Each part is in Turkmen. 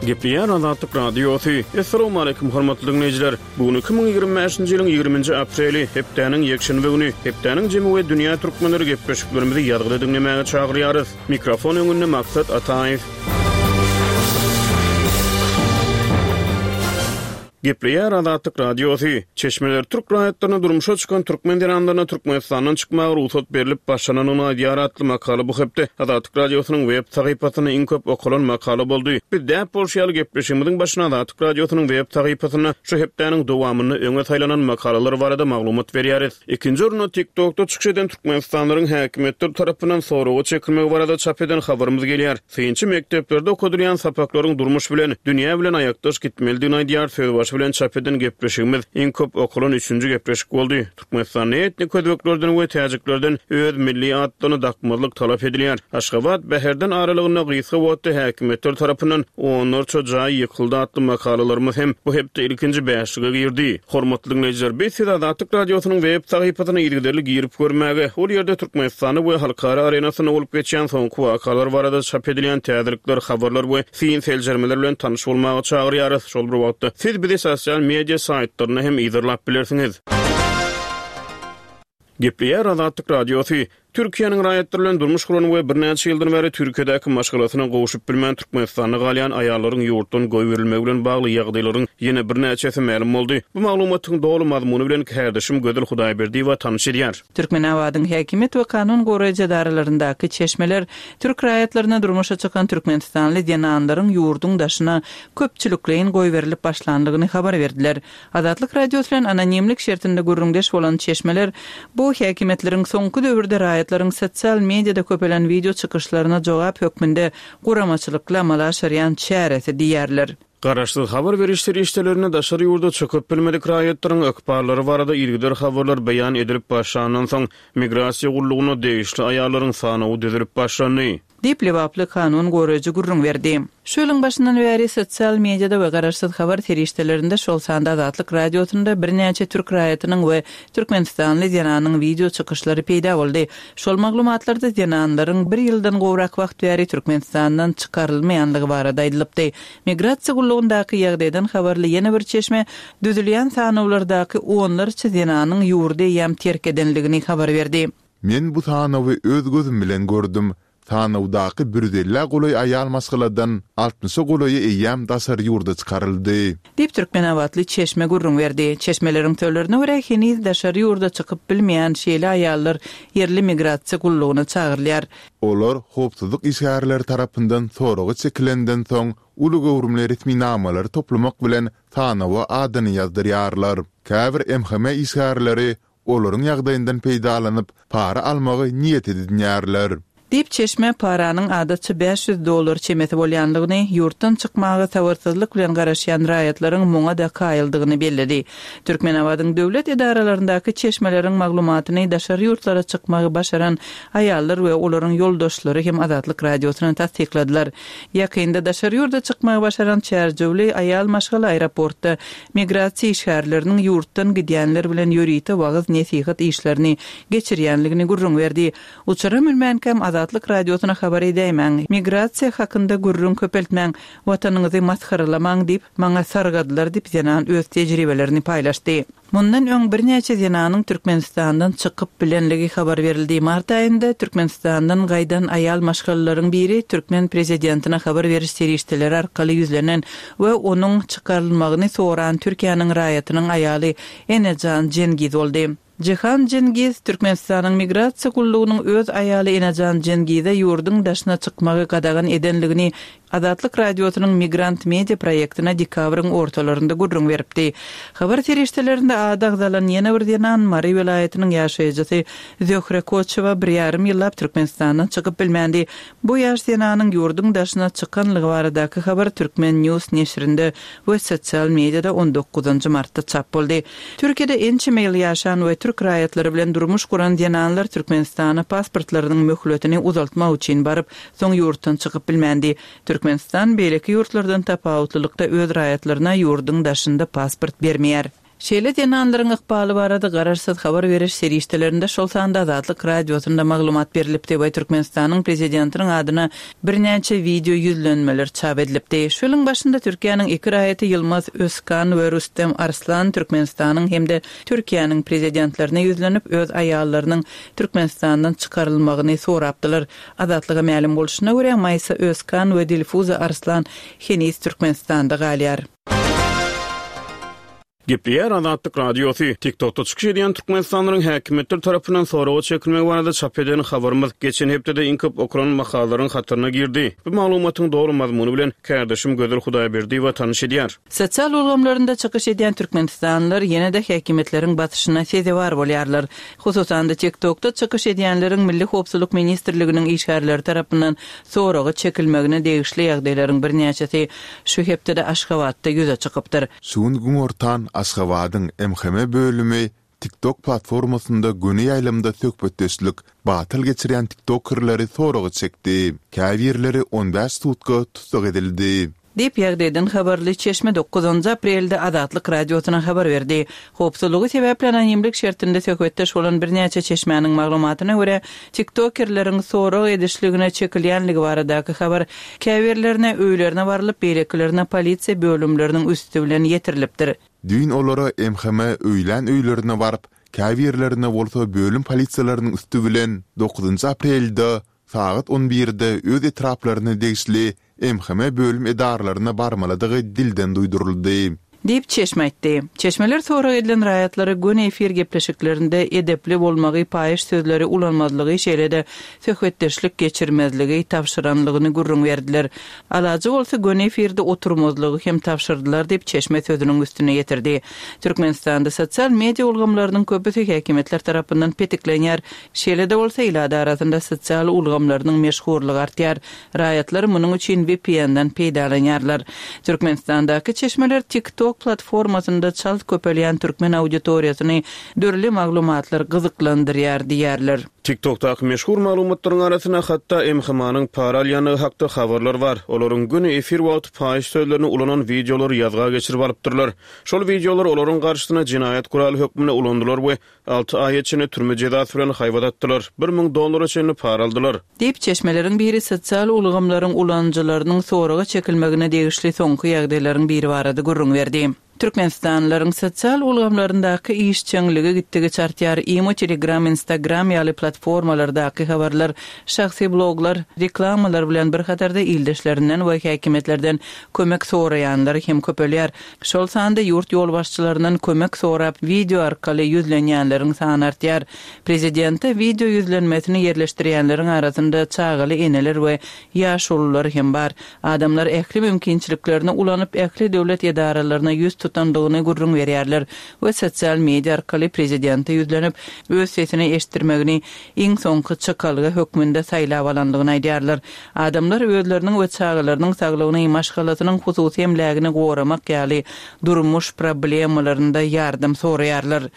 Gepleýär Azatlyk Radiosy. Assalamualaikum hormatly diňleýjiler. Bu gün 2025-nji ýylyň 20-nji apreli, hepdäniň ýekşenbe güni. Hepdäniň jemi we dünýä türkmenleri gepleşiklerimizi ýazgyda diňlemäge çagyrýarys. Mikrofon öňünde Maksat Ataýew. Gepleýär Azatlyk Radiosy. Çeşmeler türk raýatlaryna durmuşa çykan türkmen zenanlaryna Türkmenistandan çykmaga rugsat berlip başlanandygyny aýdýar atly makala bu hepde Azatlyk Radiosynyň web sahypasynda iň köp okalan makala boldy. Biz däp bolşy ýaly gepleşigimiziň başyna Azatlyk Radiosynyň web sahypasynda şu hepdäniň dowamynda öňe saýlanan makalalar barada maglumat berýäris. Ikinji orunda TikTokda çykyş eden türkmenistanlylaryň häkimiýetler tarapyndan soraga çekilmegi barada çap eden habarymyz gelýär. Synçy mekdeplerde okadylýan sapaklaryň durmuş bilen, dünýä bilen aýakdaş gitmelidigini aýdýar sözbaşy bilen çap eden gepleşigimiz iň köp okalan üçünji gepleşik boldy. Türkmenistanda etnik özbeklerden we täjiklerden öz milli atlaryny dakmazlyk talap edilýär. Aşgabat, Bäherden aralygynda gysga wagtda häkimiýetler tarapyndan onlarça jaý ýykyldy atly makalalarymyz hem bu hepde ilkinji bäşlige girdi. Hormatly diňleýjiler, biz sizi Azatlyk Radiosynyň web sahypasyna yzygiderli girip görmäge, ol ýerde Türkmenistanda we halkara arenasynda bolup geçýän soňky wakalar barada çap edilýän täzelikler, habarlar we syn-seljermeler bilen tanyş bolmaga çagyrýarys. Şol bir wagtda, siz bizi sosial media saýtlarynda hem yzarlap bilersiňiz. Gepleýär Azatlyk Radiosy, Türkiýäniň raýatlary bilen durmuş guran we birnäçe ýyldan bäri Türkiýedäki maşgalasyna gowşup bilmän Türkmenistanda galýan aýallaryň ýurtdan goýberilmegi bilen bagly ýagdaýlaryň ýene birnäçesi mälim boldy. Bu maglumatyň doly mazmuny bilen kärdeşim Gözel Hudaýberdiýewa tanyş edýär. Türkmenabadyň häkimiýet we kanun goraýjy edaralaryndaky çeşmeler türk raýatlaryna durmuşa çykan türkmenistanly zenanlaryň ýurduň daşyna köpçülikleýin goýberilip başlandygyny habar berdiler. Azatlyk Radiosy bilen anonimlik şertinde gürrüňdeş bolan çeşmeler bu häkimiýetleriň soňky döwürde raýatlaryň sosial mediada köpelen wideo çykyşlaryna jogap hökmünde guramaçylykly amala aşyrýan çäresi diýýärler. Garaşsyz habar beriş serişdelerinde daşary ýurda çykyp bilmedik raýatlaryň ykballary barada yzygider habarlar beýan edilip başlandan soň, Migrasiýa gullugyna degişli aýallaryň sanawy düzülip başlandy. Diýip, lebaply kanun goraýjy gürrüň berdi. Şu ýylyň başyndan bäri sosial mediada we garaşsyz habar serişdelerinde, şol sanda Azatlyk Radiosynda birnäçe türk raýatynyň we türkmenistanly zenanyň wideo çykyşlary peýda boldy. Şol maglumatlarda zenanlaryň bir ýyldan gowrak wagt bäri Türkmenistandan çykarylmaýanlygy barada aýdylypdy. Migrasiýa gullugyndaky ýagdaýdan habarly ýene bir çeşme düzülýän sanawlardaky onlarça zenanyň ýurdy eýýäm terk edenligini habar berdi. Men bu sanawy öz gözüm bilen gördüm. Sanawdaky bir ýüz ellä golaý aýal maşgaladan altmyşa golaýy eýýäm daşary ýurda çykaryldy. Diýip, türkmenabatly çeşme gürrüň berdi. Çeşmeleriň sözlerine görä, heniz daşary ýurda çykyp bilmeýän şeýle aýallar ýerli migrasiýa gullugyna çagyrylýar. Olar howpsuzlyk işgärleri tarapyndan soraga çekilenden soň, uly göwrümli resminamalary toplamak bilen sanawa adyny ýazdyrýarlar. Käbir MHM işgärleri Olaryň ýagdaýyndan peýdalanyp, para almagy niýet edinýärler. Diýip, çeşme paranyň adatça 500 dollar çemesi bolýandygyny, ýurtdan çykmaga sabyrsyzlyk bilen garaşýan raýatlaryň muňa-da kaýyldygyny belledi. Türkmenabadyň döwlet edaralaryndaky çeşmeleriň maglumatyny daşary ýurtlara çykmagy başaran aýallar we olaryň ýoldaşlary hem Azatlyk Radiosyna tassykladylar. Ýakynda daşary ýurda çykmagy başaran çärjewli aýal maşgala aeroportda Migrasiýa işgärleriniň ýurtdan gidýänler bilen ýörite wagyz-nesihat işlerini geçirýänligini gürrüň berdi. Uçara münmänkäm Azatlyk Radiosyna habar edäýmäň, migrasiýa hakynda gürrüň köpeltmäň, watanyňyzy masgaralamaň diýip, maňa sargadylar diýip, zenan öz tejribelerini paýlaşdy. Mundan öň birnäçe zenanyň Türkmenistandan çykyp bilenligi habar berildi. Mart aýynda Türkmenistandan gaýdan aýal maşgalalaryň biri türkmen prezidentine habar beriş serişdeleri arkaly ýüzlenen we onuň çykarylmagyny soran Türkiýäniň raýatynyň aýaly Enejan Jengiz boldy. Jihan Jengiz Türkmenistanyň Migrasiýa gullugynyň öz aýaly Enejan Jengize ýurduň daşyna çykmagy gadagan edenligini Azatlyk Radiosynyň Migrant Media proýektine dekabryň ortalarynda gürrüň beripdi. Habar serişdelerinde ady agzalan ýene bir zenan Mary welaýatynyň ýaşaýjysy Zöhre Koçowa bir ýarym ýyllap Türkmenistandan çykyp bilmändi. Bu ýaş zenanyň ýurduň daşyna çykanlygy baradaky habar Turkmen. News neşirinde we sosial mediada on dokuzynjy martda çap boldy. Türkiýede ençeme ýyl ýaşan we türk raýatlary bilen durmuş guran zenanlar Türkmenistana pasportlarynyň möhletini uzaltmak üçin baryp, soň ýurtdan çykyp bilmändi. Türkmenistan beýleki ýurtlardan tapawutlylykda öz raýatlaryna ýurduň daşynda pasport bermeýär. Şeýle zenanlaryň ykbaly barada garaşsyz habar beriş serişdelerinde, şol sanda Azatlyk Radiosynda maglumat berlipdi we Türkmenistanyň Prezidentiniň adyna birnäçe wideo ýüzlenmeler çap edilipdi. Şu ýylyň başynda Türkiýäniň iki raýaty Ýylmaz Özkan we Rüstem Arslan Türkmenistanyň hem-de Türkiýäniň Prezidentlerine ýüzlenip, öz aýallarynyň Türkmenistandan çykarylmagyny sorapdylar. Azatlyga mälim bolşuna görä, Maýsa Özkan we Dilfuza Arslan heniz Türkmenistanda galýar. Gepleýär Azatlyk Radiosy, TikTokda çykyş edýän türkmenistanlylaryň häkimiýetler tarapyndan soraga çekilmegi barada çap eden habarymyz geçen hepdede iň köp okalan makalalaryň hataryna girdi. Bu maglumatyň doly mazmuny bilen kärdeşim Gözel Hudaýberdiýewa tanyş edýär. Sosial ulgamlarynda çykyş edýän türkmenistanlylar ýene-de häkimiýetleriň basyşyna sezewar bolýarlar. Hususan-da, TikTokda çykyş edýänleriň Milli howpsuzlyk ministrliginiň işgärleri tarapyndan soraga çekilmegine degişli ýagdaýlaryň birnäçesi şu hepdede Aşgabatda ýüze çykypdyr. Şu gün günortan Aşgabadyň MHM bölümi TikTok platformasynda göni ýaýlymda söhbetdeşlik batyl geçirýän tiktokerleri soraga çekdi. Käbirleri on bäş sutka tussag edildi. Diýip, ýagdaýdan habarly çeşme dokuzynjy aprelde Azatlyk Radiosyna habar berdi. Howpsuzlygy sebäpli anonimlik şertinde söhbetdeş bolan birnäçe çeşmäniň maglumatyna görä, tiktokerleriň sorag edişligine çekilýänligi baradaky habar käbirlerine öýlerine barylyp, beýlekilerine polisiýa bölümleriniň üsti bilen ýetirilipdir. Düýn olara MHM öýlän öýlerine baryp, käbirlerine bolsa bölüm polisiýalarynyň üsti bilen dokuzynjy aprelde sagat on birde öz etraplaryna degişli MHM bölüm edaralaryna barmalydygy dilden duýduryldy. Diýip, çeşme aýtdy. Çeşmeler sorag edilen raýatlara göni efir gepleşiklerinde edepli bolmagy, paýyş sözleri ulanmazlygy, şeýle-de söhbetdeşlik geçirmezligi tabşyranlygyny gürrüň berdiler. Alajy bolsa göni efirde oturmazlygy hem tabşyrdylar diýip, çeşme sözüniň üstüni ýetirdi. Türkmenistanda sosial media ulgamlarynyň köpüsi häkimiýetler tarapyndan petiklenýär. Şeýle-de bolsa, ilat arasynda sosial ulgamlarynyň meşhurlygy artýar. Raýatlar munuň üçin VPN-den peýdalanýarlar. Türkmenistandaky çeşmeler TikTok platformasynda çalt köpelýän türkmen auditoriýasyny dürli maglumatlar gyzyklandyrýar diýýärler. TikTok-daky meşhur maglumatlaryň arasynda hatda MHM-nyň para alýandygy hakda habarlar bar. Olaryň göni efir wagty paýyş sözlerini ulanan wideolary ýazga geçirip alypdyrlar. Şol wideolar olaryň garşysyna jenaýat guraly hökmünde ulanylar we Alty aýa çenli türme jezasy bilen haýbat atdylar, 1000 dollara çenli para aldylar. Diýip, çeşmeleriň biri sosial ulgamlaryň ulanyjylarynyň soraga çekilmegine degişli soňky ýagdaýlaryň biri barada gürrüň berdi. Türkmenistanlylaryň sosial ulgamlaryndaky işjeňligi gitdigiçe artýar, Imo, Telegram, Instagram ýaly platformalardaky habarlar, şahsy bloglar, reklamalar bilen bir hatarda ildeşlerinden we häkimiýetlerden kömek soraýanlar hem köpelýär. Şol sanda ýurt ýolbaşçylaryndan kömek sorap wideo arkaly ýüzlenýänleriň sany artýar. Prezidente wideo ýüzlenmesini ýerleşdirýänleriň arasynda çagaly eneler we ýaşulular hem bar. Adamlar ähli mümkinçiliklerini ulanyp ähli döwlet edaralaryna ýüz tutandygyny gürrüň berýärler we sosial media arkaly prezidente ýüzlenip öz sesini eşitdirmegini iň soňky çykalga hökmünde saýlap alandygyny aýdýarlar. Adamlar özleriniň we çagalarynyň saglygyny, maşgalasynyň hususy emlägini goramak ýaly durmuş problemalarynda ýardam soraýarlar.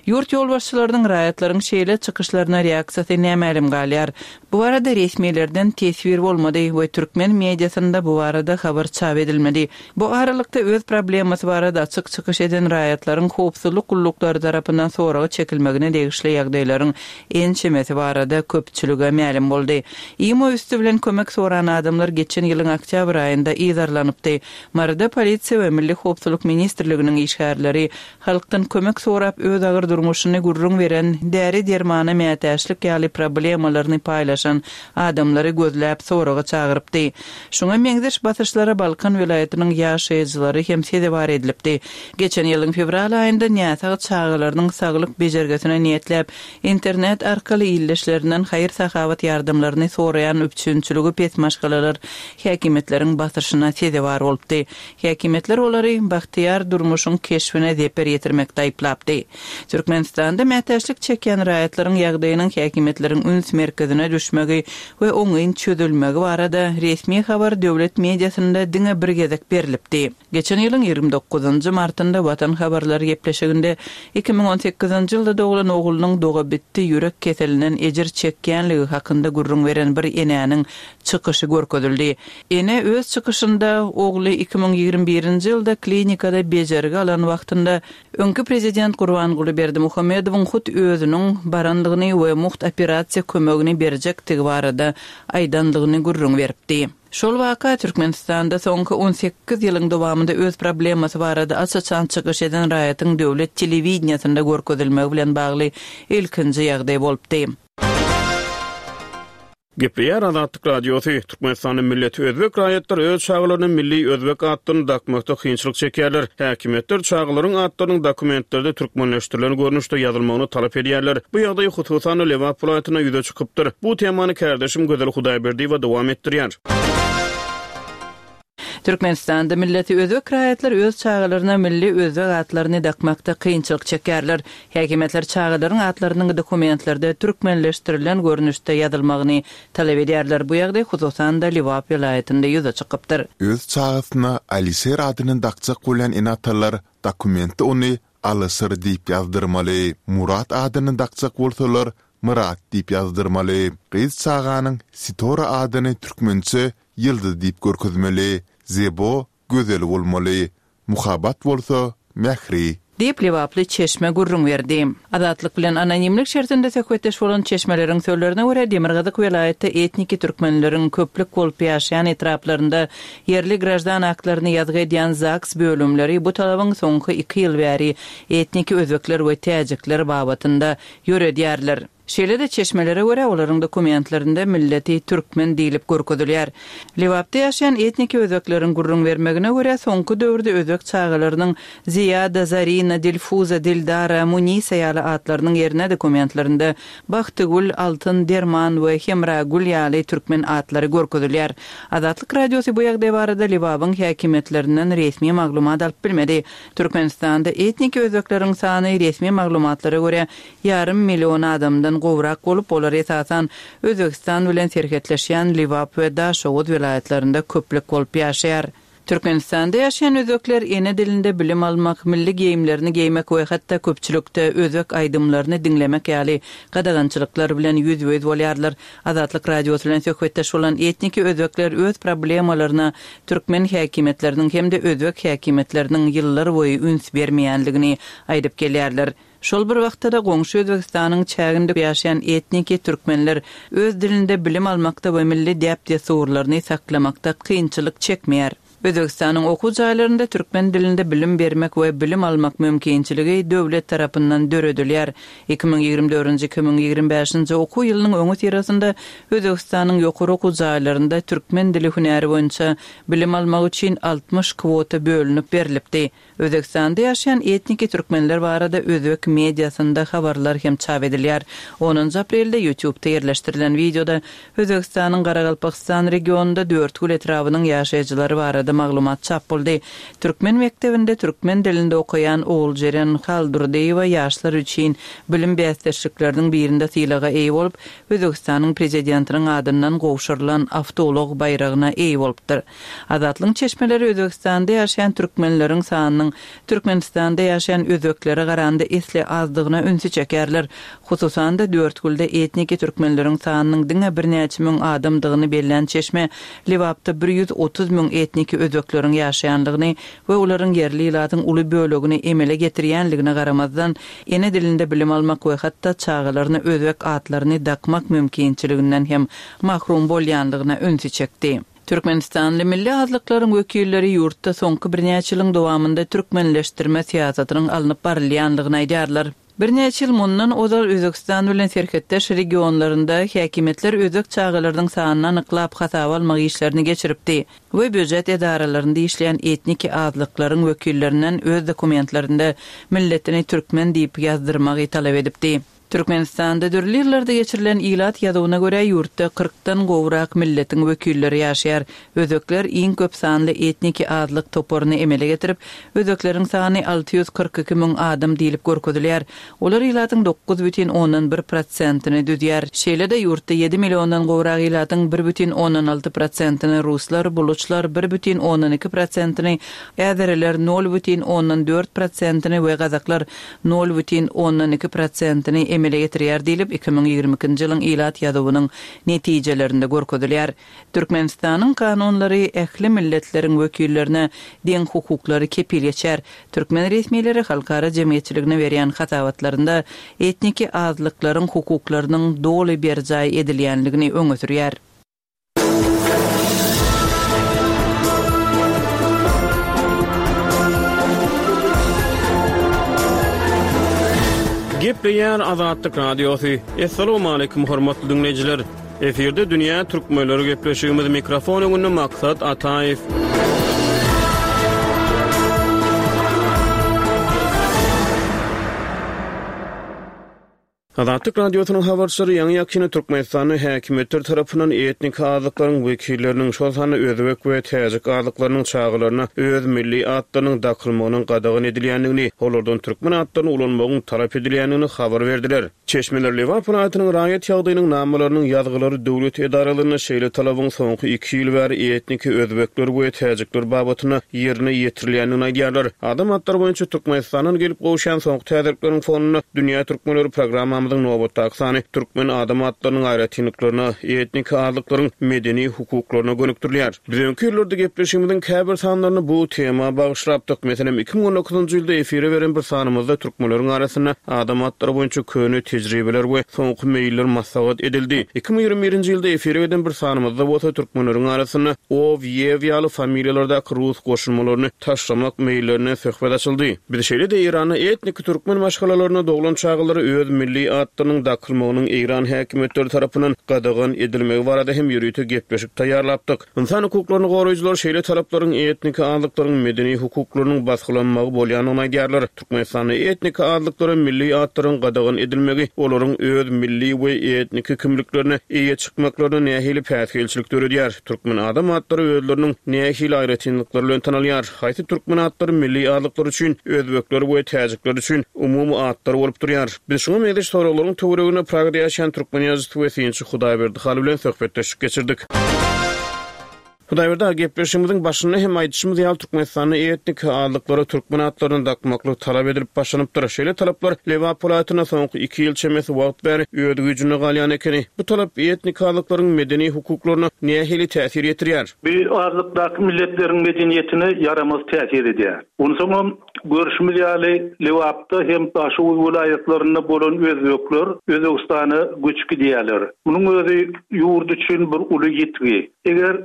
Ýurt ýolbaşçylarynyň raýatlaryň şeýle çykyşlaryna reaksiýasy nämälim galýar. Bu barada resmilerden teswir bolmady we türkmen mediasynda bu barada habar çap edilmedi. Bu aralykda öz problemasy barada açyk çykyş eden raýatlaryň howpsuzlyk gulluklary tarapyndan soraga çekilmegine degişli ýagdaýlaryň ençemesi barada köpçülige mälim boldy. Imo üsti bilen kömek soran adamlar geçen ýylyň oktýabr aýynda yzarlanypdy. Maryda polisiýa we Milli howpsuzlyk ministrliginiň işgärleri halkdan kömek sorap öz agyr durmuşyny gürrüň beren, däri-dermana mätäçlik ýaly problemalaryny paýlaşan adamlary gözläp soraga çagyrypdy. Şuňa meňzeş basyşlara Balkan welaýatynyň ýaşaýjylary hem sezewar edilipdi. Geçen ýylyň fewral aýynda näsag çagalarynyň saglyk bejergisine niýetläp, internet arkaly ildeşlerinden haýyr-sahawat ýardamlaryny soraýan üpjünçiligi pes maşgalalar häkimiýetleriň basyşyna sezewar bolupdy. Häkimiýetler olary bagtyýar durmuşyň keşbine zeper ýetirmekde aýyplapdy. Türkmenistanda mätäçlik çekýän raýatlaryň ýagdaýynyň häkimiýetleriň üns merkezine düşmegi we oňyn çözülmegi barada resmi habar döwlet mediasynda diňe bir gezek berlipdi. Geçen ýylyň 29. dokuzynjy martynda Watan habarlary gepleşiginde 2018-nji ýylda doglan oglunyň dogabitdi ýürek keselinden ejir çekýänligi hakynda gürrüň beren bir enäniň çykyşy görkezildi. Ene öz çykyşynda ogly 2021-nji ýylda klinikada bejergi alan wagtynda öňki prezident Gurbanguly Berdimuhamedowyň hut özüniň barandygyny we mugt operasiýa kömegini berjekdigi barada aýdandygyny gürrüň beripdi. Şol waka Türkmenistanda soňky 18 ýylyň dowamynda öz problemasy barada aç-açan çykyş eden raýatyň döwlet telewideniýesinde görkezilmegi bilen bagly ilkinji ýagdaý bolupdy. Gepleýär Azatlyk Radiosy, Türkmenistanda milleti özbek raýatlar öz çagalaryna milli özbek atlaryny dakmakda kynçylyk çekýärler. Häkimiýetler çagalaryň atlarynyň dokumentlerde türkmenleşdirilen görnüşde ýazylmagyny talap edýärler. Bu ýagdaý hususan-da Lebap welaýatynda ýüze çykypdyr. Bu temany kärdeşim Gözel Hudaýberdiýewa dowam etdirýär. Türkmenistanda milleti özbek raýatlar öz çagalaryna milli özbek atlaryny dakmakda kynçylyk çekýärler. Häkimiýetler çagalaryň atlarynyň dokumentlerde türkmenleşdirilen görnüşde ýazylmagyny talap edýärler. Bu ýagdaý hususan-da Lebap welaýatynda ýüze çykypdyr. Öz çagasyna Alişer adyny dakjak bolýan ene-atalar dokumentde ony Alyşir diýip ýazdyrmaly. Murat adyny dakjak bolsalar, Myrat diýip ýazdyrmaly. Gyz çaganyň Sitora adyny türkmençe Ýyldyz diýip görkezmeli. Zebo gözel bolmaly. Muhabbat bolsa mähri. Diýip, lebaply çeşme gürrüň berdi. Azatlyk bilen anonimlik şertinde söhbetdeş bolan çeşmeleriň sözlerine görä, demirgazyk welaýatda etniki türkmenleriň köplük bolup ýaşaýan etraplarynda ýerli graždan aktlaryny ýazgy edýän ZAGS bölümleri bu talabyň soňky iki ýyl bäri etniki özbekler we täjikler babatynda ýöredýärler. Şeýle-de çeşmelere görä, olaryň dokumentlerinde milleti türkmen diýlip görkezilýär. Lebapda ýaşaýan etniki özbekleriň gürrüň bermegine görä, soňky döwürde özbek çagalarynyň Ziýada, Zarina, Dilfuza, Dildara, Munisa ýaly atlarynyň ýerine dokumentlerinde Bagtygül, Altyn, Derman we Hemragül ýaly türkmen atlary görkezilýär. Azatlyk Radiosy bu ýagdaý barada Lebabyň häkimiýetlerinden resmi maglumat alyp bilmedi. Türkmenistanda etniki özbekleriň sany resmi maglumatlara görä, ýarym million adamdan gowrak bolup, olar esasan Özbegistan bilen serhetleşýän Lebap we Daşoguz welaýatlarynda köplük bolup ýaşaýar. Türkmenistanda ýaşaýan özbekler ene dilinde bilim almak, milli geýimlerini geýmek we hatda köpçülikde özbek aýdymlaryny diňlemek ýaly gadagançylyklar bilen ýüzbe-ýüz bolýarlar. Azatlyk Radiosy bilen söhbetdeş bolan etniki özbekler öz problemalaryna türkmen häkimiýetleriniň hem-de özbek häkimiýetleriniň ýyllarboýy üns bermeýändigini aýdyp gelýärler. Şol bir wagtda-da goňşy Özbegistanyň çäginde ýaşaýan etniki türkmenler öz dilinde bilim almakda we milli däp-dessurlaryny saklamakda kynçylyk çekmeýär. Özbegistanyň okuw jaýlarynda türkmen dilinde bilim bermek we bilim almak mümkinçiligi döwlet tarapyndan döredilýär. 2024-nji, 2025-nji okuw ýylynyň öňüsyrasynda Özbegistanyň ýokary okuw jaýlarynda türkmen dili hünäri boýunça bilim almak üçin 60 kwota bölünip berlipdi. Özbegistanda ýaşaýan etniki türkmenler barada özbek mediasynda habarlar hem çap edilýär. Onunjy aprelde YouTube-da ýerleşdirilen wideoda Özbegistanyň Garagalpagystan regionynda Dörtgül etrabynyň ýaşaýjylary barada maglumat çap boldy. Türkmen mekdebinde türkmen dilinde okaýan Oguljeren Haldurdyýewa ýaşlar üçin bilim bäsdeşlikleriniň birinde sylaga eýe bolup, Özbegistanyň Prezidentiniň adyndan gowşurylan awtoulag baýragyna eýe bolupdyr. Azatlygyň çeşmeleri Özbegistanda ýaşaýan türkmenleriň sanynyň Türkmenistanda ýaşaýan özbeklere garanda esli azdygyna ünsi çekýärler. Hususan-da, Dörtgülde etniki türkmenleriň sanynyň diňe birnäçe müň adamdygyny bellän çeşme Lebapda 130 müň etniki özbekleriň ýaşaýandygyny we olaryň ýerli ilatyň uly bölegini emele getirýändigine garamazdan, ene dilinde bilim almak we hatda çagalaryna özbek atlaryny dakmak mümkinçiliginden hem mahrum bolýandygyna ünsi çekdi. Türkmenistanly milli azlyklaryň wekilleri ýurtda soňky birnäçe ýylyň dowamynda türkmenleşdirme syýasatynyň alnyp barylýandygyny aýdýarlar. Birnäçe ýyl mundan ozal Özbegistan bilen serhetdeş regionlarynda häkimiýetler özbek çagalarynyň sanyny anyklap hasaba almak işlerini geçiripdi we býujet edaralarynda işleýän etniki azlyklaryň wekillerinden öz dokumentlerinde milletini türkmen diýip ýazdyrmagy talap edipdi. Türkmenistanda dürli ýyllarda geçirilen ilat ýazuwyna görä, ýurtda kyrkdan gowrak milletiň wekilleri ýaşaýar. Özbekler iň köp sanly etniki azlyk toparyny emele getirip, özbekleriň sany 642 müň adam diýlip görkezilýär. Olar ilatyň 9,1 prosentini düzýär. Şeýle-de, ýurtda ýedi milliondan gowrak ilatyň 1,6 prosentini ruslar, buluçlar, 1,2 prosentini äzeriler, 0,4 prosentini we gazaklar 0,2 prosentini emele getirýär diýlip, 2022-nji ýylyň ilat ýazuwynyň netijelerinde görkezilýär. Türkmenistanyň kanunlary ähli milletleriň wekillerine deň hukuklary kepil geçýär. Türkmen resmileri halkara jemgyýetçiligine berýän hasabatlarynda etniki azlyklaryň hukuklarynyň doly berjaý edilýänligini öňe sürýär. Gepleýär Azatlyk Radiosy. Assalamualaikum hormatly diňleýjiler. Efirde dünýä türkmenleri gepleşigimiz mikrofon öňünde Maksat Ataýew. Azatlyk Radiosynyň habarçylary ýaňy-ýakynda Türkmenistanda häkimiýetler tarapyndan etniki azlyklaryň wekilleriniň, şol sanda özbek we täjik azlyklarynyň çagalaryna öz milli atlarynyň dakylmagynyň gadagan edilýändigini, olardan türkmen atlaryny ulanmagyň talap edilýändigini habar berdiler. Çeşmeler Lebap welaýatynyň raýat ýagdaýynyň namalarynyň ýazgylary döwlet edaralarynda şeýle talabyň soňky iki ýyl bäri etniki özbekler we täjikler babatynda ýerine ýetirilýändigini aýdýarlar. Adam atlary boýunça Türkmenistandan gelip gowuşýan soňky täzelikleriň fonunda Dünýä türkmenleri programmamyzyň nobatdaky sany türkmen adam atlarynyň aýratynlyklaryna, etniki azlyklaryň medeni hukuklaryna gönükdirilýär. Biz öňki ýyllarda gepleşigimiziň käbir sanlaryny bu tema bagyşlapdyk. Meselem, 2019-njy ýylda efire beren bir sanymyzda türkmenleriň arasynda adam atlary boýunça köne tejribeler we soňky meýiller maslahat edildi. 2021-nji ýylda efire giden bir sanymyzda bolsa türkmenleriň arasynda ow, ýew ýaly familiýalardaky rus goşulmalaryny taşlamak meýillerinden söhbet açyldy. Biz şeýle-de Eýranda etniki türkmen maşgalalarynda doglan çagalara öz milli atlarynyň dakylmagynyň eýran häkimiýetleri tarapyndan gadagan edilmegi barada hem ýörite gepleşik taýýarlapdyk. Ynsan hukuklaryny goraýjylar şeýle talaplaryň etniki azlyklaryň medeni hukuklarynyň basgylanmagy bolýandygyny aýdýarlar. Türkmenistanda etniki azlyklara milli atlaryň gadagan edilmegi olaryň öz milli we etniki kimliklerine eýe çykmaklaryna nähili päsgelçilik döredýär? Türkmen adam atlary özleriniň nähili aýratynlyklary bilen tanalýar? Haýsy türkmen atlary milli azlyklar üçin, özbekler we täjikler üçin umumy atlar bolup durýar? Biz şuňa meňzeş soraglaryň töwereginde Pragada ýaşaýan türkmen ýazyjysy we synçy Hudaýberdi Hally bilen söhbetdeşlik geçirdik. Hudaýberdi aga, gepleşigimiziň başynda hem aýdyşymyz ýaly, Türkmenistanda etniki azlyklara türkmen atlaryny dakmaklyk talap edilip başlanypdyr. Şeýle talaplar Lebap welaýatynda soňky iki ýyl çemesi wagt bäri öz güýjünde galýan ekeni. Bu talap etniki azlyklaryň medeni hukuklaryna nähili täsir ýetirýär? Bu azlykdaky milletleriň medeniýetine ýaramaz täsir edýär. Onsoňam, görşümiz ýaly, Lebapda hem Daşoguz welaýatlarynda bolan özbekler Özbegistana göçüp gidýärler. Munuň özi ýurt üçin bir uly ýitgi. Eger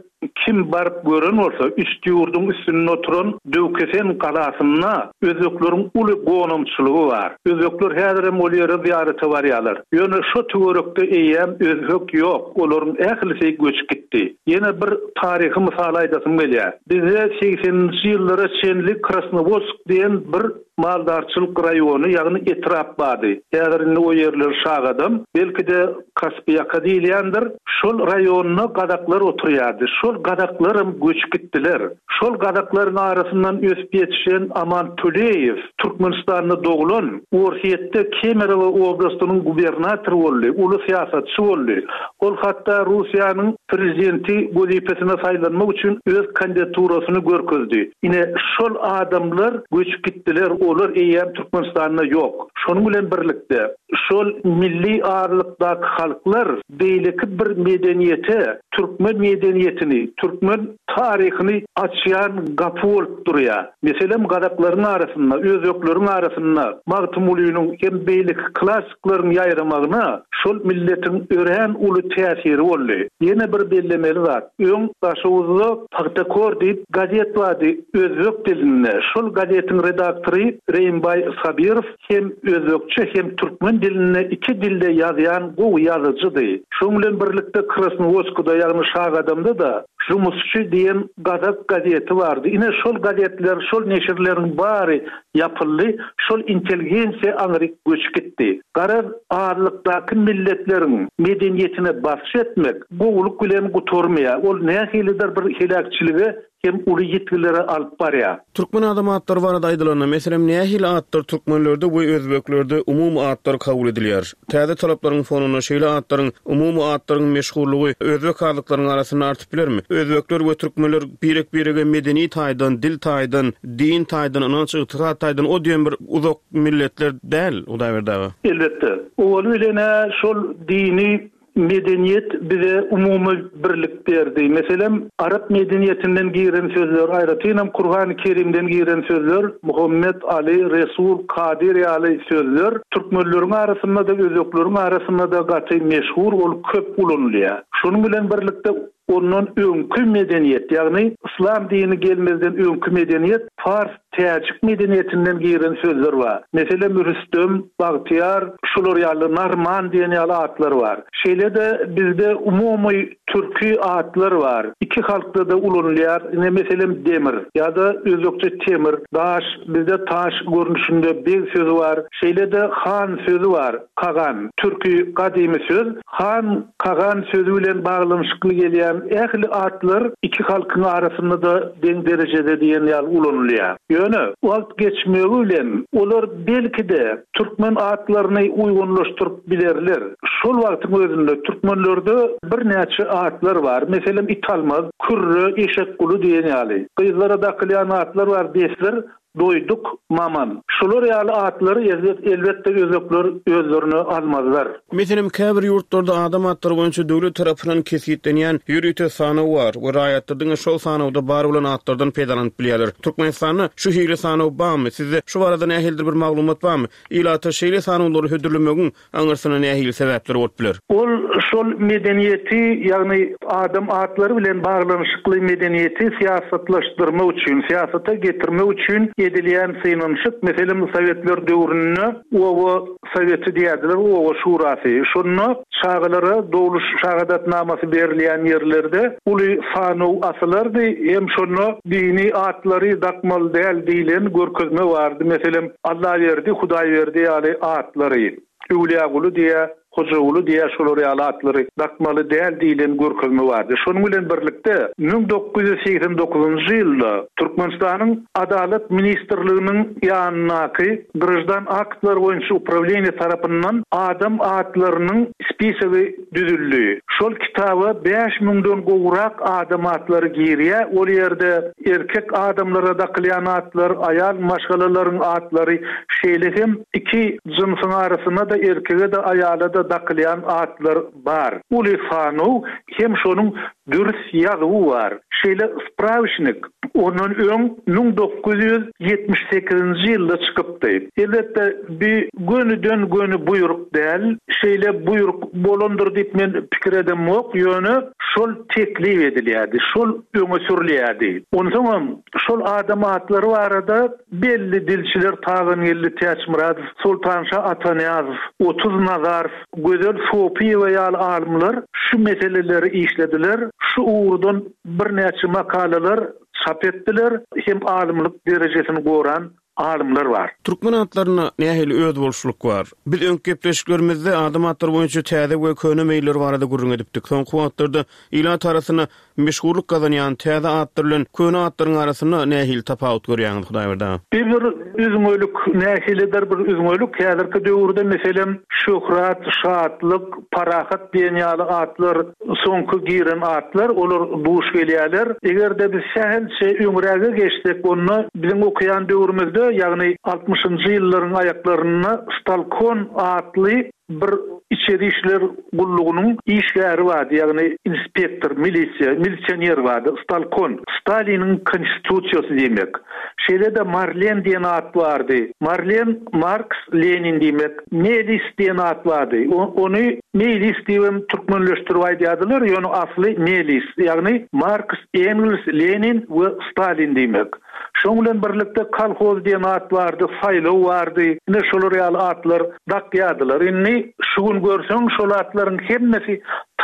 kim baryp gören bolsa, Üstýurduň üstünde oturan Döwkesen galasynda özbekleriň uly gonamçylygy bar. Özbekler häzirem ol ýere zyýarata barýarlar. Ýöne şo töwerekde eýýäm özbek ýok, olaryň ählisi göçüp gitdi. Ýene bir taryhy mysal aýdasym gelýär. Bizde segseninji ýyllara çenli Krasnowodsk diýen bir maldarçylyk raýony, ýagny etrap bardy. Häzir indi o ýerler Şagadam, belki-de Kaspiýaka diýilýändir. Şol raýonda gazaklar oturýardy. Şol gazaklaram göçüp gitdiler. Şol gazaklaryň arasyndan ösüp ýetişen Aman Töleýew Türkmenistanda doglan, Orsýetde Kemerowo oblastynyň gubernatory boldy, uly syýasatçy boldy. Ol hatda Russiýanyň prezidenti wezipesine saýlanmak üçin öz kandidaturasyny görkezdi. Ine, şol adamlar göçüp gitdiler, olar eýýäm Türkmenistanda ýok. Şonuň bilen birlikde, şol milli azlykdaky halklar beýleki bir medeniýete, türkmen medeniýetini, türkmen taryhyny açýan gapy bolup durýar. Meselem, gazaklaryň arasynda, özbekleriň arasynda Magtymgulynyň hem beýleki klassyklaryň ýaýramagyna şol milletiň örän uly täsiri boldy. Ýene bir bellemeli zat, öň Daşoguzda Pagtakor diýip gazet bardy özbek dilinde. Şol gazetiň redaktory Reýimbaý Sabirow hem özbekçe hem türkmen dilinde iki dilde ýazýan gowy ýazyjydy. Şoň bilen birlikde Krasnowodskda ýagny Şagadamda-da. Žumusçy diýen gazak gazeti bardy. Ine, şol gazetler, şol neşirleriň bary ýapyldy, şol intelligensiýa aňryk göçüp gitdi. Garaz, azlykdaky milletleriň medeniýetine basyş etmek gowulyk bilen gutarmaýar. Ol nähilidir bir heläkçilige hem uly ýitgilere alyp barýar. Türkmen adam atlary barada aýdylanda, meselem, nähili atlar türkmenlerde we özbeklerde umumy atlar kabul edilýär? Täze talaplaryň fonunda şeýle atlaryň, umumy atlaryň meşhurlygy özbek azlyklaryň arasynda artyp bilermi? Özbekler we türkmenler birek-birege medeni taýdan, dil taýdan, din taýdan, ynanç-ygtykat taýdan o diýen bir uzak milletler däl, Hudaýberdi aga. Elbetde. Owaly bilen-ä şol dini Medeniýet bize umumy birlik berdi. Meselem, arap medeniýetinden giren sözler, aýratynam Kurhany Kerimden giren sözler, Muhammet, Aly, Resul, Kadyr ýaly sözler türkmenleriň arasynda-da, özbekleriň arasynda-da gaty meşhur, ol köp ulanylýar. Şonuň bilen birlikde ondan öňki medeniýet, ýagny yslam dini gelmezden öňki medeniýet pars Täjik medeniýetinden giren sözler bar. Meselem, Rüstem, Bagtyýar, şular ýaly, Narman diýen ýaly atlar bar. Şeýle-de bizde umumy türki atlar bar. Iki halkda-da ulanylýar. Ine, meselem, Demir ýa-da özbekçe Temir, Daş, bizde Taş görnüşinde beg sözi bar. Şeýle-de han sözi bar, Kagan, türki gadymy söz. Han, kagan sözi bilen baglanyşykly gelýän ähli atlar iki halkyň arasynda-da deň derejede diýen ýaly ulanylýar. Ýöne, wagt geçmegi bilen olar belki-de türkmen atlaryny uýgunlaşdyryp bilerler. Şol wagtyň özünde türkmenlerde birnäçe atlar bar. Meselem, Italmaz, Kürre, Eşekguly diýen ýaly. Gyzlara dakylýan atlar bar, Besdir, Doýduk, Maman. Şular ýaly atlary elbetde özbekler özlerine almazlar. Meselem, käbir ýurtlarda adam atlary boýunça döwlet tarapyndan kesgitlenýän ýörite sanaw bar we raýatlar diňe şol sanawda bar bolan atlardan peýdalanyp bilýärler. Türkmenistanda şu hili sanaw barmy? Sizde şu barada nähilidir bir maglumat barmy? Ilata şeýle sanawlary hödürlemegiň Aňyrsynda nähili sebäpler bolup biler? Ol şol medeniýeti, ýagny adam atlary bilen baglanyşykly medeniýeti syýasatlaşdyrmak üçin, syýasata getirmek üçin edilýän synanyşyk. Meselem, sowetler döwründe oba soweti diýerdiler, oba şurasy. Şonda çagalara dogluş şahadatnamasy berilýän ýerlerde uly sanaw asylardy hem şonda dini atlary dakmaly däl diýlen görkezme bardy. Meselem, Allaberdi, Hudaýberdi ýaly atlary, Öwlüýaguly diýä, Hojaguly diýä şolar ýaly atlary dakmaly däl diýlen görkezme bardy. Şonuň bilen birlikde, 1989-njy ýylda Türkmenistanyň Adalat ministrliginiň ýanyndaky Graždan aktlar boýunça uprawleniýe tarapyndan adam atlarynyň spisogy düzüldi. Şol kitaba bäş müňden gowrak adam atlary girýär. Ol ýerde erkek adamlara dakylýan atlar, aýal maşgalalaryň atlary, şeýle hem iki jynsyň arasynda-da erkege-de, aýala-da dakylýan atlar bar. Uly sanaw hem şonuň dürs ýazuwy bar. Şeýle sprawiçnik ondan öň 1978-nji ýylda çykypdy. Elbetde, bi gönüden-göni buýruk däl. Şeýle buýruk bolandyr diýip men pikir edemok, ýöne şol teklip edilýärdi, şol öňe sürülýärdi. Onsoňam şol adam atlary barada belli dilçiler Tagangeldi Täçmyradow, Soltanşa Atanyýazow, Otuz Nazarow, Gözel Sopyýewa ýaly alymlar şu meseleleri işlediler, şu ugurdan birnäçe makalalar çap etdiler hem alymlyk derejesini goran alymlar bar. Türkmen atlarynda nähili özboluşlylyk bar? Biz öňki gepleşiklerimizde adam atlary boýunça täze we köne meýiller barada gürrüň edipdik. Soňky wagtlarda ilat arasynda Meşhurlyk gazanýan täze atlar bilen köne atlaryň arasynda nähili tapawut görýäňiz, Hudaýberdi aga? Bir bir üzňelik, nähilidir bir üzňelik, häzirki döwürde meselem Şöhrat, Şatlyk, Parahat diýen ýaly atlar soňky giren atlar, olar duş gelýärler. Eger-de biz sähelçe öňräge geçsek, onda biziň okaýan döwrümizde, ýagny altmyşynjy ýyllaryň aýaklarynda Stalkon atly Bir içeri işler gullugynyň işgäri bardy, ýagny inspektor, milisiýa, milisioner bardy, Stalkon, Staliniň konstitusiýasy diýmek. Şeýle-de Marlen diýen at bardy. Marlen, Marks, Lenin diýmek. Melis diýen at bardy. Ony Meýlis diýibem türkmenleşdirip aýdýardylar, ýöne asly Melis, ýagny Marks, Engels, Lenin we Stalin diýmek. Şoň bilen birlikde kolhoz diýen at bardy, saýlaw bardy. Ine şolar ýaly atlar dakýardylar. Indi şu gün görseň şol atlaryň hemmesi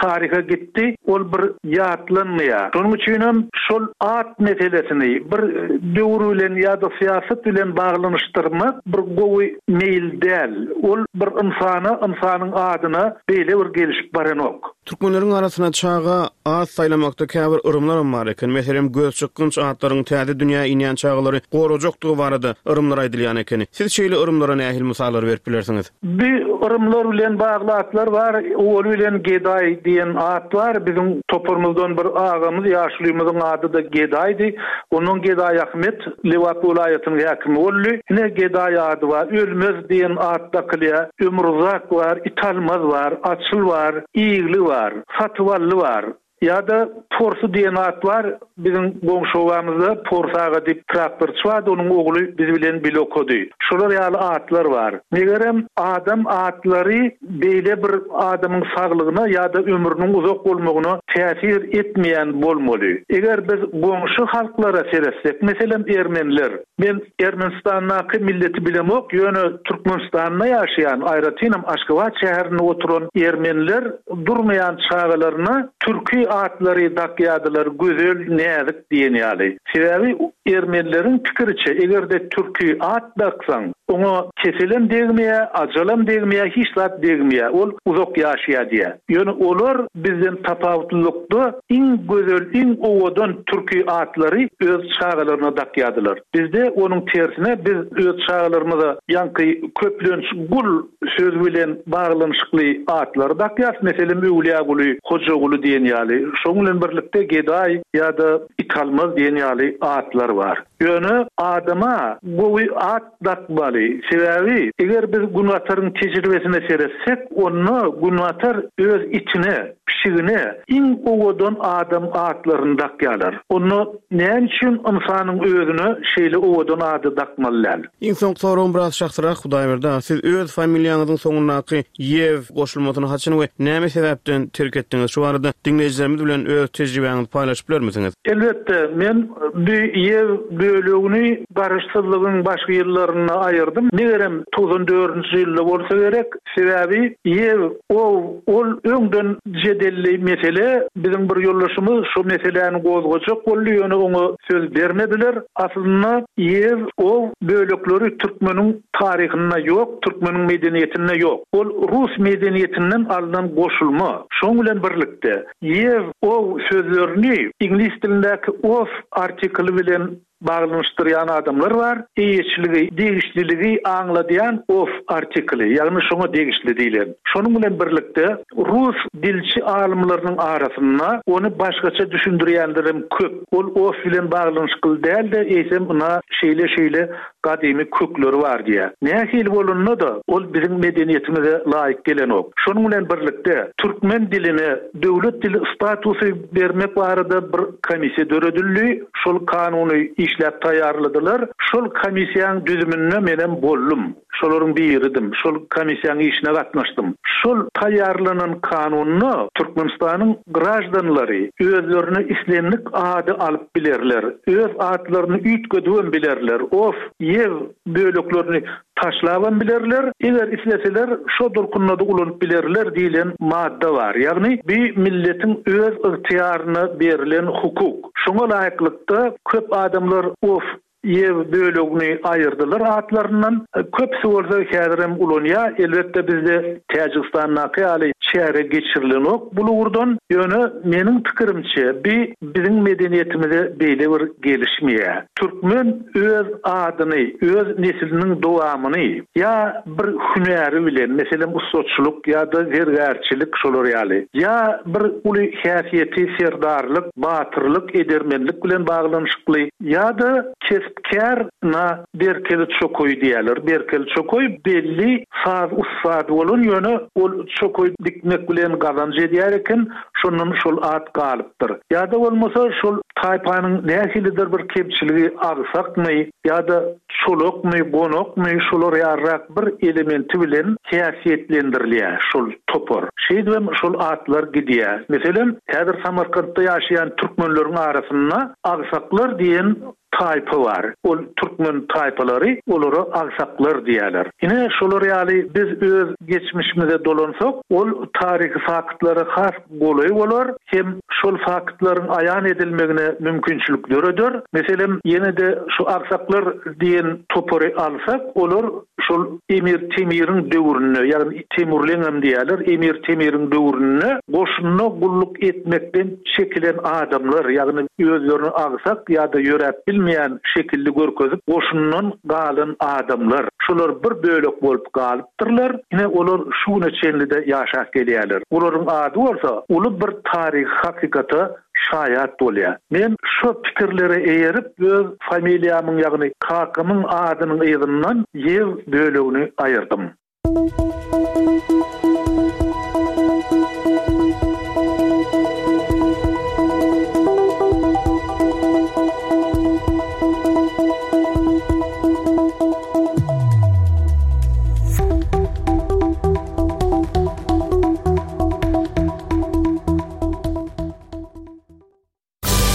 taryha gitdi, ol bir ýatlanmaýar. Şonuň üçinem şol at meselesini bir döwür bilen ýa-da syýasat bilen baglanyşdyrmak bir gowy meýil däl. Ol bir ynsana, ynsanyň adyna beýle bir gelişip baranok. Türkmenleriň arasynda çaga at saýlamakda käbir yrymlaram bar eken. Meselem, gözçykgynç atlaryň täze dünýä inýän çagalary gorajakdygy barada yrymlar aýdylýan ekeni. Siz şeýle yrymlara nähili mysallar berip bilersiňiz? Bi yrymlar bilen bagly atlar bar. Owaly bilen Gedaý diýen at bar. Biziň toparymyzdan bir agamyz, ýaşulymyzyň ady-da Gedaýdy. Ondan Gedaý Ahmet Lebap welaýatynyň häkimi boldy. Ine, Gedaý ady bar. Ölmez diýen at dakylýar. Ömruzak bar, Italmaz bar, Açyl bar, Igli bar, Satybally bar. Ýa-da Porsy diýen at bar, biziň goňşy obamyzda Porsy aga diýip traktorçy bardy, onuň ogly biz bilen bile okady. Şolar ýaly atlar bar. Megerem, adam atlary beýle bir adamyň saglygyna ýa-da ömrüniň uzak bolmagyna täsir etmeýän bolmaly. Eger biz goňşy halklara seretsek, meselem, ermeniler. Men Ermenistandaky milleti bilemok, ýöne Türkmenistanda ýaşaýan, aýratynam Aşgabat şäherinde oturan ermeniler durmaýan çagalaryna türki atlary dakýadylar, Gözel, Näzik diýen ýaly. Sebäbi ermenileriň pikiriçe, eger-de türki at daksaň, oňa keselem degmeýär, ajalam degmeýär, hiç zat degmeýär, ol uzak ýaşaýar diýýär. Ýöne olar bizden tapawutlylykda iň gözel, iň owadan türki atlary öz çagalaryna dakýardylar. Bizde onuň tersine biz öz çagalarymyza ýaňky köplenç gul sözi bilen baglanyşykly atlary dakýarys. Meselem, Öwlüýäguly, Hojaguly diýen ýaly. Şonuň bilen birlikde Gedaý ýa-da Italmaz diýen ýaly atlar bar. Ýöne adama gowy at dakmaly. Sebäbi, eger biz Günbataryň tejribesine seretsek, onda Günbatar öz itine, pişigine iň owadan adam atlaryny dakýarlar. Onda näme üçin ynsanyň özüne şeýle owadan ady dakmaly däl? Iň soňky soragym biraz şahsyrak, Hudaýberdi aga, siz öz familiýaňyzyň soňundaky Ýew goşulmasyny haçan we näme sebäpden terk etdiňiz? Şu barada diňleýjilerimiz bilen öz tejribäňizi paýlaşyp bilermisiňiz? Elbetde, men bu Ýew bölegini Garaşsyzlygyň başky ýyllarynda aýyrdym. Megerem, 94-nji ýylda bolsa gerek. Sebäbi Ýew, ow, ol öňden jedelli mesele. Biziň bir ýoldaşymyz şo meseläni gozgajak boldy, ýöne oňa söz bermediler. Aslynda Ýew, ow bölekleri türkmeniň taryhynda ýok, türkmeniň medeniýetinde ýok. Ol rus medeniýetinden alnan goşulma. Şoň bilen birlikde, Ýew, ow sözlerini iňlis dilindäki of artikli bilen baglanyşdyrýan adamlar bar. Eýeçiligi, degişliligi aňladýan of artikli, ýagny şoňa degişli diýlen. Şonuň bilen birlikde, rus dilçi alymlarynyň arasynda ony başgaça düşündirýänlerem köp. Ol of bilen baglanyşykly däl-de, eýsem ynha şeýle-şeýle gadymy kökleri bar diýýär. Nähili bolanda-da, ol biziň medeniýetimize laýyk gelenok. Şonuň bilen birlikde, türkmen diline döwlet dili statusy bermek barada bir komissiýa döredildi. Şol kanuny işläp taýýarladylar. Şol komissiýaň düzüminde menem boldum. Şolaryň biridim. Şol komissiýaň işine gatnaşdym. Şol taýýarlanan kanunda Türkmenistanyň graždanlary özlerine islendik ady alyp bilerler. Öz atlaryny üýtgedibem bilerler. Of, ýew böleklerini taşlabam bilerler, eger isleseler şo durkunda-da ulanyp bilerler diýlen madda bar. Ýagny bi milletiň öz ygtyýaryna berlen hukuk. Şoňa laýyklykda köp adamlar of, ýew bölegini aýyrdylar atlaryndan. Köpüsi bolsa häzirem ulanýar. Elbetde bizde Täjigistandaky ýaly çäre geçirilenok bul ugurdan. Ýöne meniň pikirimçe bi biziň medeniýetimize beýle bir gelişmeýär. Türkmen öz adyny, öz nesliniň dowamyny ýa bir hünäri bilen, meselem, ussaçylyk ýa-da zergärçilik şolar ýaly, ýa bir uly häsiýeti serdarlyk, batyrlyk, edermenlik bilen baglanyşykly, ýa-da kesp-kär na Berkeli çokaý diýýärler. Berkeli çokaý belli saz ussady bolan, ýöne ol çokaý dikmek bilen gazanç edýär eken, şondan şol at galypdyr. Ýa-da bolmasa şol taýpanyň nähilidir bir kemçiligi agsakmy ýa-da çolakmy, gonakmy şolar ýalyrak bir elementi bilen häsiýetlendirilýär şol topar. Şeýdibem şol atlar gidýär. Meselem, häzir Samarkantda ýaşaýan türkmenleriň arasynda agsaklar diýen. Taýpa bar. Ol türkmen taýpalary, olara agsaklar diýýärler. Ine, şolar ýaly biz öz geçmişimize dolansak, ol taryhy faktlara has golaý bolar hem şol faktlaryň aýan edilmegine mümkinçilik döreder. Meselem, ýene-de şu agsaklar diýen topary alsak, olar Şol Emir Temiriň döwründe, ýagny Temurleňem diýýärler, Emir Temiriň döwründe goşunda gulluk etmekden çekilen adamlar, ýagny özlerini agsak ýa-da ýöräp bilmeýän şekilli görkezip goşundan galan adamlar, şolar bir bölek bolup galypdyrlar, ine olar şu güne çenli-de ýaşap gelýärler. Olaryň ady bolsa uly bir taryhy hakykata şaýat bolýar. Men şo pikirlere eýerip öz familiýamyň ýagny kakamyň adynyň yzyndan ýew bölegini aýyrdym.